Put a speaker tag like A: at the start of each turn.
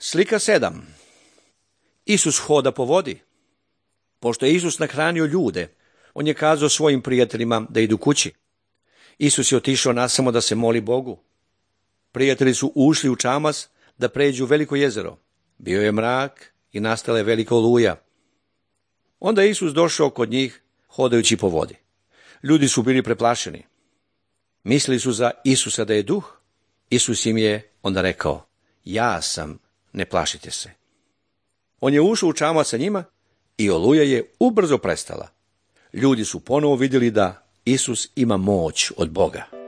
A: Slika 7. Isus hoda po vodi. Pošto je Isus nahranio ljude, on je kazao svojim prijateljima da idu kući. Isus je otišao nasamo da se moli Bogu. Prijatelji su ušli u čamac da pređu veliko jezero. Bio je mrak i nastala je velika oluja. Onda je Isus došao kod njih hodajući po vodi. Ljudi su bili preplašeni. Mislili su za Isusa da je duh. Isus im je onda rekao: ja sam, ne plašite se. On je ušao u čamac sa njima i oluja je ubrzo prestala. Ljudi su ponovo vidjeli da Isus ima moć od Boga.